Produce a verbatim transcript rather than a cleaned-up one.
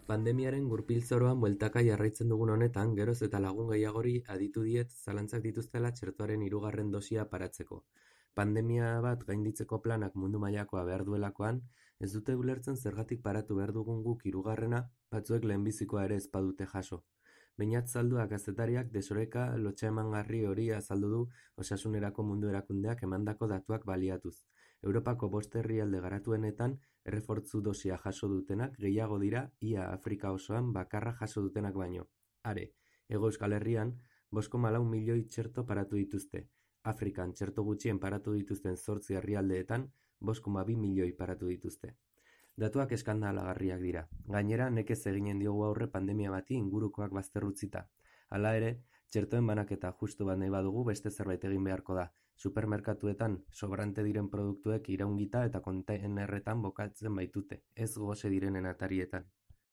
Pandemiaren gurpil-zoroan bueltaka jarraitzen dugun honetan, geroz eta lagun gehiagori aditu diet zalantzak dituztela txertoaren hirugarren dosia paratzeko. Pandemia bat gainditzeko planak mundu mailakoa behar duelakoan, ez dute ulertzen zergatik paratu behar dugun guk hirugarrena, batzuek lehenbizikoa ere ez badute jaso. Beñat Zaldua kazetariak desoreka lotsaemangarri hori azaldu du Osasunerako Mundu Erakundeak emandako datuak baliatuz. Europako bost herrialde garatuenetan errefortzu dosia jaso dutenak gehiago dira ia Afrika osoan bakarra jaso dutenak baino. Are, Hego Euskal Herrian bost koma lau milioi txerto paratu dituzte. Afrikan txerto gutxien paratu dituzten zortzi herrialdeetan bost koma bi milioi paratu dituzte. Datuak eskandalagarriak dira. Gainera, nekez eginen diogu aurre pandemia bati ingurukoak bazterrutzita. Hala ere, txertoen banaketa justu bat nahi badugu beste zerbait egin beharko da. Supermerkatuetan sobrante diren produktuek iraungita eta kontainerretan bokatzen baitute, ez gose direnen atarietan.